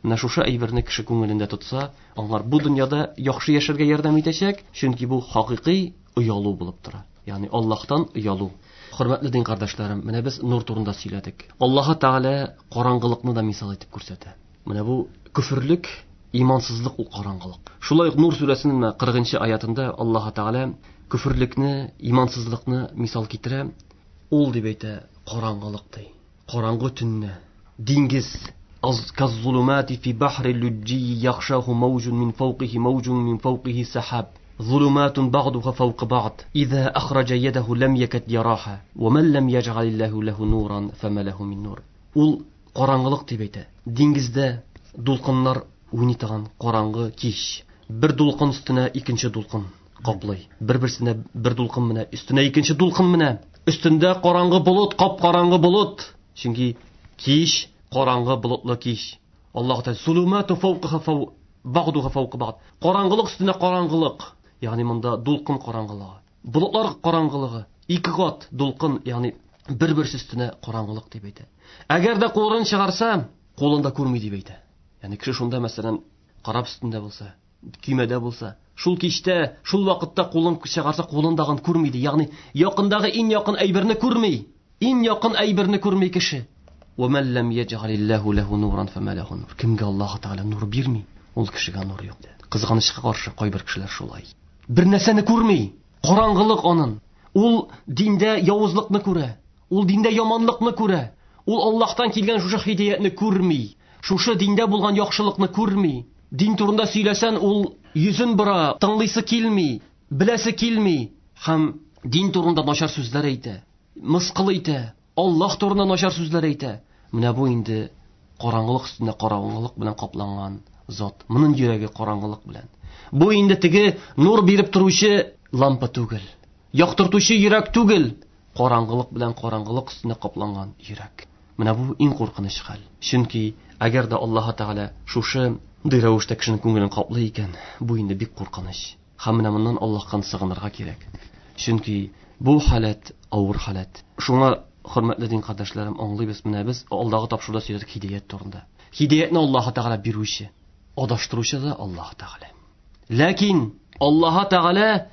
Менә шушы әйберне кеше күңелендә тотса, аңар бу дөньяда яхшы яшәргә ярдәм итәчәк, чөнки бу хакыйкый оялу булып тора. Ягъни Аллаһтан оялу. Хөрмәтле дин кардәшләрем, менә без нур турында сөйләдек. Аллаһ Тәгалә караңгылыкны да мисал итеп күрсәтә. Менә бу күферлек, имансызлык ул караңгылык. Шулай ук Нур сүрәсенең кырыгынчы аятында Аллаһ Тәгалә күферлекне, имансызлыкны мисал китерә. Ул дип әйтә, караңгылык ди. Караңгы төнне, диңгез каз-зулумати фи бахри луджи яхшаху мawjun мин фawqihi мawjun мин фawqihi сахаб. Зулуматун бa'духа фawqa ba'd. Иза ахраҗа ядаху лам якад яраха ва ман лам яҗ'алиллаху лаху нуран фама лаху мин нур. Ул караңгылык дип әйтә. Диңгездә дулкыннар уйный торган караңгы кич. Бер дулкын өстенә икенче дулкын каплый. Бер-берсенә бер дулкын менә, өстенә икенче дулкын менә. Өстендә караңгы болыт, кап-караңгы болыт. Чөнки кич караңгы болытлы кич. Аллаһ Тәгалә зулумату фawqaha фау бa'духа фawqa ba'd. Караңгылык өстенә караңгылык. Ягъни монда дулкын караңгылыгы, болытлар караңгылыгы, ике кат дулкын, ягъни бер-берсе өстенә караңгылык дип әйтә. Әгәр дә кулын чыгарса, кулын да күрми дип әйтә. Ягъни кеше шунда мәсәлән карап өстендә булса, көймәдә булса, шул кичтә, шул вакытта кулын чыгарса, кулындагын күрми ди. Ягъни якындагы иң якын әйберне күрми. Иң якын әйберне күрми кеше. Ва ман лам яҗ'алиллаху лаху нуран фама лаху нур. Кемгә Аллаһ Тәгалә нур бирми, ул кешегә нур юк. Кызганычка каршы кайбер кешеләр шулай. Бер нәрсәне күрми, караңгылык анын. Ул диндә явызлыкны күрә, ул диндә яманлыкны күрә, ул Аллаһтан килгән шушы һидаятны күрми, шушы диндә булган яхшылыкны күрми. Дин турында сөйләсән, ул йөзен бора, тыңлыйсы килми, беләсе килми һәм дин турында начар сүзләр әйтә, мыскыл итә, Аллаһ турында начар сүзләр әйтә. Менә бу инде караңгылык өстендә караңгылык белән капланган зат. Моның йөрәге караңгылык белән. Бу инде теге нур биреп торучы лампа түгел, яктыртучы йөрәк түгел, караңгылык белән караңгылык өстендә капланган йөрәк. Менә бу иң куркыныч хәл. Чөнки әгәр дә Аллаһ Тәгалә шушы рәвештә кешенең күңелен каплый икән, бу инде бик куркыныч. Һәм менә моннан Аллаһтан сыгынырга кирәк. Чөнки бу халәт авыр халәт. Шуңа хөрмәтле дин кардәшләрем, аңлыйбыз, менә без алдагы тапшыруда сөйләдек һидаят турында. Һидаятны Аллаһ Тәгалә бирүче, адаштыручы да Аллаһ Тәгалә. Ләкин Аллаһ Тәгалә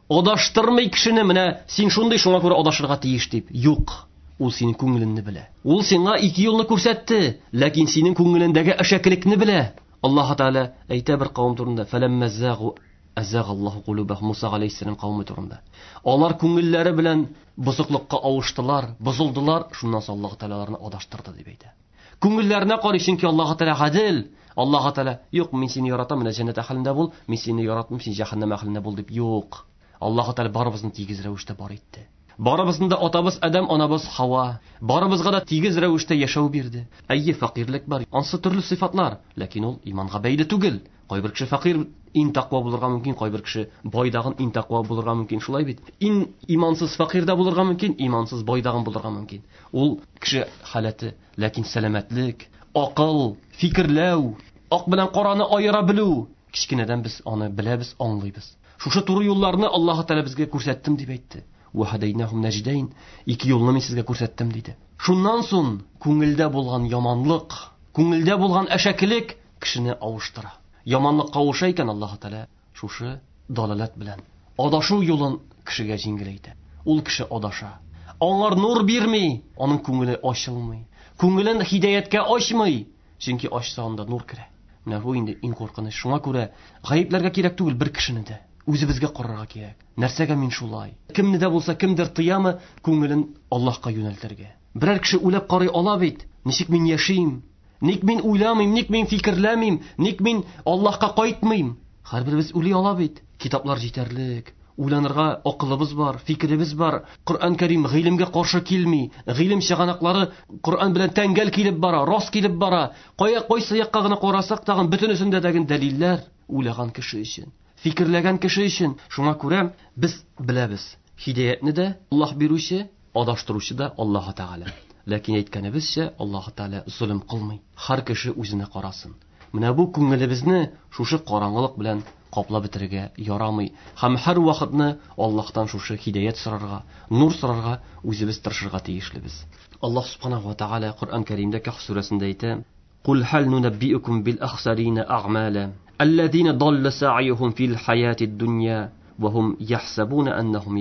адаштырмый кешене, менә син шундый, шуңа күрә адашырга тиеш дип. Юк, ул синең күңелеңне белә. Ул сиңа ике юлны күрсәтте, ләкин синең күңелеңдәге әшәкелекне белә. Аллаһ Тәгалә әйтә бер кавым турында: "Фәләммә загу азагаллаһу кулубахум" Муса алейһиссәлам кавымы турында. Алар күңелләре белән бозыклыкка авыштылар, бозылдылар, шуннан соң Аллаһ Тәгалә аларны адаштырды дип әйтә. Күңелләренә карый, чөнки Аллаһ Тәгалә гадел. Аллаһ Тәгалә, юк, мин сине яратам, менә җәннәт әһелендә бул, мин сине яратмыйм, син җәһәннәм әһелендә бул дип, юк. Аллаһ Тәгалә барыбызны тигез рәвештә бар итте. Барыбызны да атабыз Адәм, анабыз Хава. Барыбызга да тигез рәвештә яшәү бирде. Әйе, фәкыйрьлек бар. Ансы төрле сыйфатлар, ләкин ул иманга бәйле түгел. Кайбер кеше фәкыйрь иң тәкъва булырга мөмкин, кайбер кеше байдагын иң тәкъва булырга мөмкин, шулай бит. Иң имансыз фәкыйрь дә булырга мөмкин, имансыз байдагын булырга мөмкин. Ул кеше халәте, ләкин сәламәтлек, акыл, фикерләү, ак белән караны аера белү, кечкенәдән без аны беләбез, аңлыйбыз. Шушы туры юлларны Аллаһ Тәгалә безгә күрсәттем дип әйтте. Ва һадайнахум наҗдайн, ике юлны мин сезгә күрсәттем диде. Шуннан соң күңелдә булган яманлык, күңелдә булган әшәкелек кешене авыштыра. Яманлыкка авыша икән Аллаһ Тәгалә шушы далалат белән адашу юлын кешегә җиңеләйтә. Ул кеше адаша. Аңар нур бирми, аның күңеле ачылмый. Күңелен һидаяткә ачмый, чөнки ачса анда нур керә. Менә бу инде иң куркыныч. Шуңа күрә гаепләргә кирәк түгел бер кешене дә. Үзебезгә карарга кирәк. Нәрсәгә мин шулай? Кемне дә булса кемдер тыямы күңелен Аллаһка юнәлтергә. Берәр кеше уйлап карый ала бит. Ничек мин яшим? Ник мин уйламыйм, ник мин фикерләмим, ник мин Аллаһка кайтмыйм? Һәрберебез уйлый ала бит. Китаплар җитәрлек. Уйланырга акылыбыз бар, фикеребез бар. Коръән Кәрим гыйлемгә каршы килми. Гыйлем чыганаклары Коръән белән тәңгәл килеп бара, рас килеп бара. Кая кайсы якка гына карасак тагын бөтенесендә дә дәлилләр уйлаган кеше өчен, фикерләгән кеше өчен. Шуңа күрә без беләбез, һидаятны да Аллаһ бирүче, адаштыручы да Аллаһ Тәгалә. Ләкин әйткәнебезчә, Аллаһ Тәгалә золым кылмый. Һәр кеше үзенә карасын. Менә бу күңелебезне шушы караңгылык белән каплап бетерергә ярамый. Һәм һәр вакытны Аллаһтан шушы һидаят сорарга, нур сорарга үзебез тырышырга тиешлебез. Аллаһ субханаһу ва тааля Коръән Кәримдә Кәһф сүрәсендә әйтә: "Кул хал нунаббиукум бил ахсарина а'мала, аллазина далла са'юхум фил хаятид дунья ва хум яхсабуна аннахум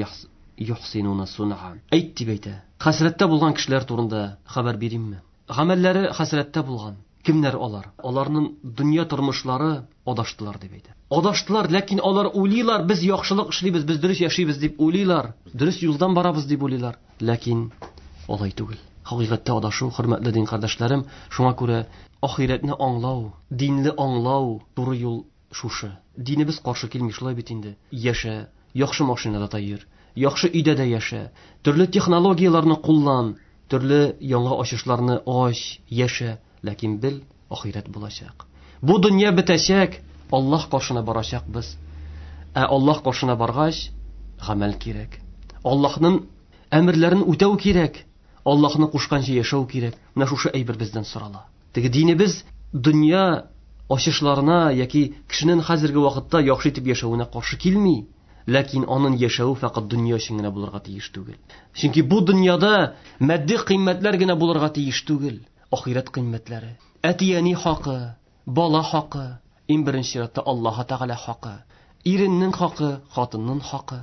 юхсинуна сун'a." Әйт дип әйтә. Хәсрәттә булган кешеләр турында хәбәр биримме? Гамәлләре хәсрәттә булган. Кемнәр алар? Аларның дөнья тормышлары адаштылар дип әйтә. Адаштылар, ләкин алар уйлыйлар, без яхшылык эшлибез, без дөрес яшибез дип уйлыйлар, дөрес юлдан барабыз дип уйлыйлар. Ләкин алай түгел. Хакыйкатьтә адашу, хөрмәтле дин кардәшләрем, шуңа күрә ахирәтне аңлау, динле аңлау, туры юл шушы. Динебез каршы килми, шулай бит инде. Яшә, яхшы машинада та йөр, яхшы өйдә дә яшә, төрле технологияләрне куллан, төрле яңа ачышларны ач, яшә, ләкин бел, ахирәт булачак. Бу дөнья бетәчәк, Аллаһ каршына барачакбыз. Ә Аллаһ каршына баргач, гамәл кирәк. Аллаһның әмерләрен үтәү кирәк. Аллаһны кушканча яшәү кирәк. Менә шушы әйбер бездән сорала. Теге динебез дөнья ачышларына яки кешенең хәзерге вакытта яхшы итеп яшәвенә каршы килми. Ләкин аның яшәве фәкать дөнья өчен генә булырга тиеш түгел. Чөнки бу дөньяда матди кыйммәтләр генә булырга тиеш түгел. Ахирәт кыйммәтләре, әти-әни хакы, бала хакы, иң беренче чиратта Аллаһ Тәгалә хакы, иреннең хакы, хатынның хакы,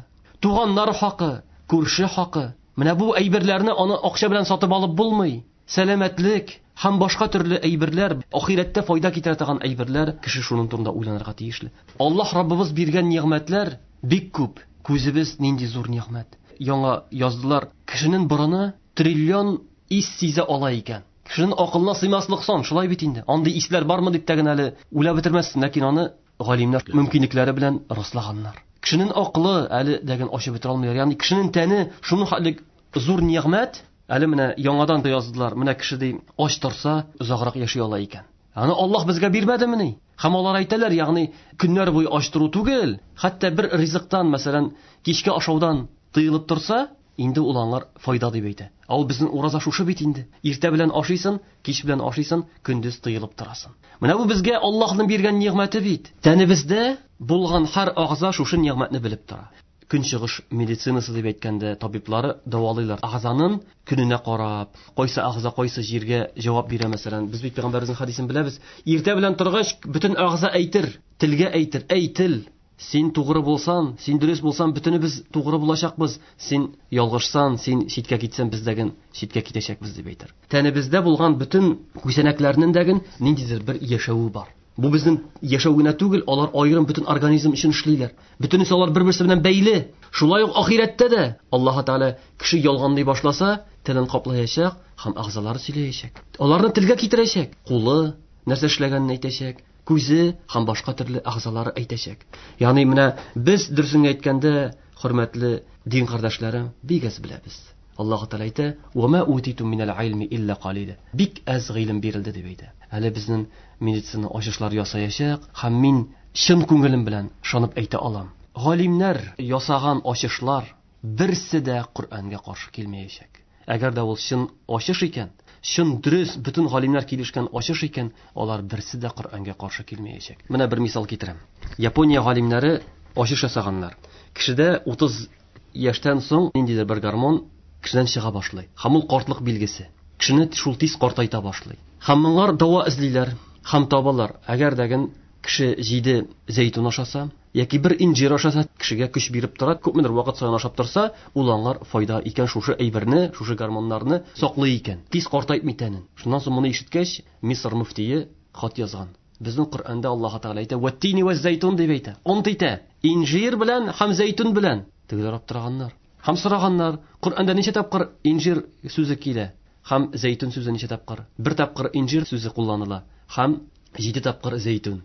туганнар хакы, күрше хакы. Менә бу әйберләрне аны акча белән сатып алып булмый. Сәламәтлек һәм башка төрле әйберләр, ахирәттә файда китерә торган әйберләр, кеше шуның турында уйланырга тиешле. Аллаһ Раббыбыз биргән нигъмәтләр бик күп. Күзебез нинди зур нигъмәт. Яңа яздылар, кешенең борыны триллион ис сизә ала икән. Кешенең акылына сыймаслык сан, шулай бит инде. Андый исләр бармы дип тә генә әле уйлап бетермәссең, ләкин аны галимнәр мөмкинлекләре белән раслаганнар. Кешенең акылы әле дәген ачып бетерә алмыйлар. Ягъни кешенең тәне шуның хәтле зур нигъмәт, әле менә яңадан да яздылар, менә кеше ди ач торса озаграк яши ала икән. Аны Аллаһ безгә бирмәдемени? Һәм алар әйтәләр, ягъни көннәр буе ач тору түгел, хәтта бер ризыктан, мәсәлән, кичке ашаудан тыелып торса, инде ул аңар файда дип әйтә. Ә ул безнең ураза шушы бит инде. Иртә белән ашыйсың, кич белән ашыйсың, көндез тыелып торасың. Менә бу безгә Аллаһның биргән нигъмәте бит. Тәнебездә булган һәр агъза шушы нигъмәтне белеп тора. Көнчыгыш медицинасы дип әйткәндә табиблары дәвалыйлар. Агъзаның көненә карап, кайсы агъза кайсы җиргә җавап бирә, мәсәлән. Без бит пәйгамбәребезнең хәдисен беләбез. Иртә белән торгач, бөтен агъза әйтер, телгә әйтер, әй тел, син тугры булсан, син дөрес булсан, бөтенебез тугры булачакбыз. Син ялгышсан, син читкә китсән, без дәген читкә китәчәкбез дип әйтер. Тәнебездә булган бөтен күзәнәкләрнең дәген ниндидер бер яшәве бар. Бу безнең яшәү генә түгел, алар аерым бөтен организм өчен эшлиләр. Бөтенесе алар бер-берсе белән бәйле. Шулай ук ахирәттә дә Аллаһ Тәгалә кеше ялганлый башласа, телен каплаячак һәм агъзалары сөйләячәк. Аларны телгә китерәчәк. Кулы, нәрсә эшләгәнен әйтәчәк, күзе һәм башка төрле әгъзалары әйтәчәк. Ягъни менә без дөресен әйткәндә, хөрмәтле дин кардәшләрем, бик әз беләбез. Аллаһ Тәгалә әйтә: "Ва ма утиту минал илми илля қалила". Бик әз гыйлем бирелде дип әйтә. Әле безнең медицина ачышлар ясаячак һәм мин чын күңелем белән ышанып әйтә алам. Галимнәр ясаган ачышлар берсе дә Коръәнгә каршы килмәячәк. Әгәр дә ул чын ачыш икән, чын дөрес, бөтен галимнәр килешкән ачыш икән, алар берсе дә Коръәнгә каршы килмәячәк. Менә бер мисал китерәм. Япония галимнәре ачыш ясаганнар. Кешедә утыз яшьтән соң ниндидер бер гормон кешедән чыга башлый. Һәм ул картлык билгесе. Кешене шул тиз картайта башлый. Һәм моңар дава эзлиләр, һәм табалар. Әгәр дәген кеше җиде зәйтүн ашаса, яки бер инҗир ашаса, кешегә көч биреп тора, күпмедер вакыт саен ашап торса, ул аңар файда икән, шушы әйберне, шушы гормоннарны саклый икән. Тиз картайтмый тәнен. Шуннан соң моны ишеткәч, Мисыр мөфтие хат язган. Безнең Коръәндә Аллаһ Тәгалә әйтә: "Ваттини ваз-зайтун" дип әйтә. Ант итә. Инҗир белән һәм зәйтүн белән. Тегеләр аптыраганнар. Һәм сораганнар: Коръәндә ничә тапкыр инҗир сүзе килә? Һәм зәйтүн сүзе ничә тапкыр? Бер тапкыр инҗир сүзе кулланыла, һәм җиде тапкыр зәйтүн.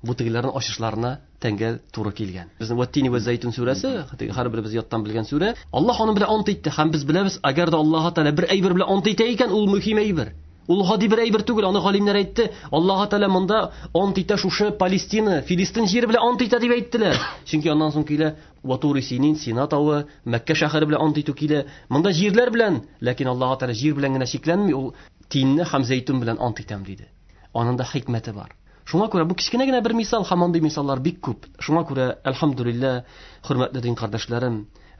Бу тегеләрнең ачышларына тәңгәл туры килгән. Безнең Ваттини ва зәйтүн сүрәсе, теге һәрберебез яттан белгән сүрә. Аллаһ аның белән ант итте, һәм без беләбез, әгәр дә Аллаһ Тәгалә бер әйбер белән ант итә икән, ул мөһим әйбер. Ул гади бер әйбер түгел, аны галимнәр әйтте. Аллаһ Тәгалә монда ант итә шушы Палестина, Филистин җире белән ант итә дип әйттеләр. Чөнки аннан соң килә Ватури Синин, Сина тавы, Мәккә шәһәре белән ант итү килә. Монда җирләр белән, ләкин Аллаһ Тәгалә җир белән генә чикләнми, ул тинне һәм зәйтүн белән ант итәм диде. Аның да хикмәте бар. Шуңа күрә бу кечкенә генә бер мисал, һәм андый мисаллар бик күп. Шуңа күрә әлхәмдүлилләһ, хөрмәтле дин кардәшләрем,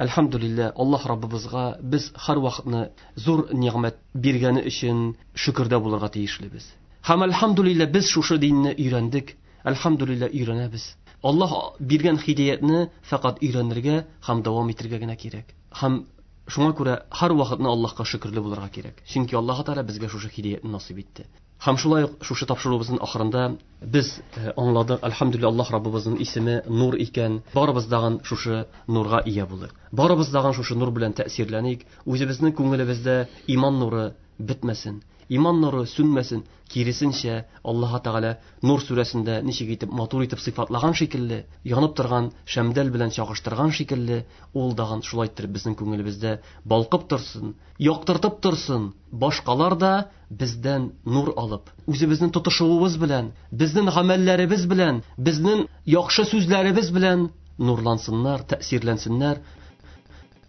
әлхәмдүлилләһ, Аллаһ Раббыбызга без һәр вакытны зур нигъмәт биргәне өчен шөкердә булырга тиешлебез. Һәм әлхәмдүлилләһ без шушы динне өйрәндек, әлхәмдүлилләһ өйрәнәбез. Аллаһ биргән һидәятне фәкать өйрәнергә һәм дәвам итәргә генә кирәк. Һәм шуңа күрә һәр вакытны Аллаһка шөкерле булырга кирәк. Чөнки Аллаһ Тәгалә безгә шушы һидәятне насыйп итте. Һәм шулай ук шушы тапшыруыбызның ахырында без аңладык, әлхәмдүлилләһ, Аллаһ Раббыбызның исеме нур икән. Барыбыз дагын шушы нурга ия булыйк. Барыбыз дагын шушы нур белән тәэсирләник. Үзебезнең күңелебездә иман нуры бетмәсен, иман нуры сүнмәсен. Киресенчә, Аллаһ Тәгалә Нур сүрәсендә ничек итеп матур итеп сыйфатлаган шикелле, янып торган шәмдәл белән чагыштырган шикелле, ул дагын шулай итеп безнең күңелебездә балкып торсын, яктыртып торсын. Башкалар да бездән нур алып, үзебезнең тотышуыбыз белән, безнең гамәлләребез белән, безнең яхшы сүзләребез белән нурлансыннар, тәэсирләнсеннәр.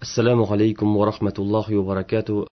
Ассаламу алейкум ва рахматуллахи ва баракатуh.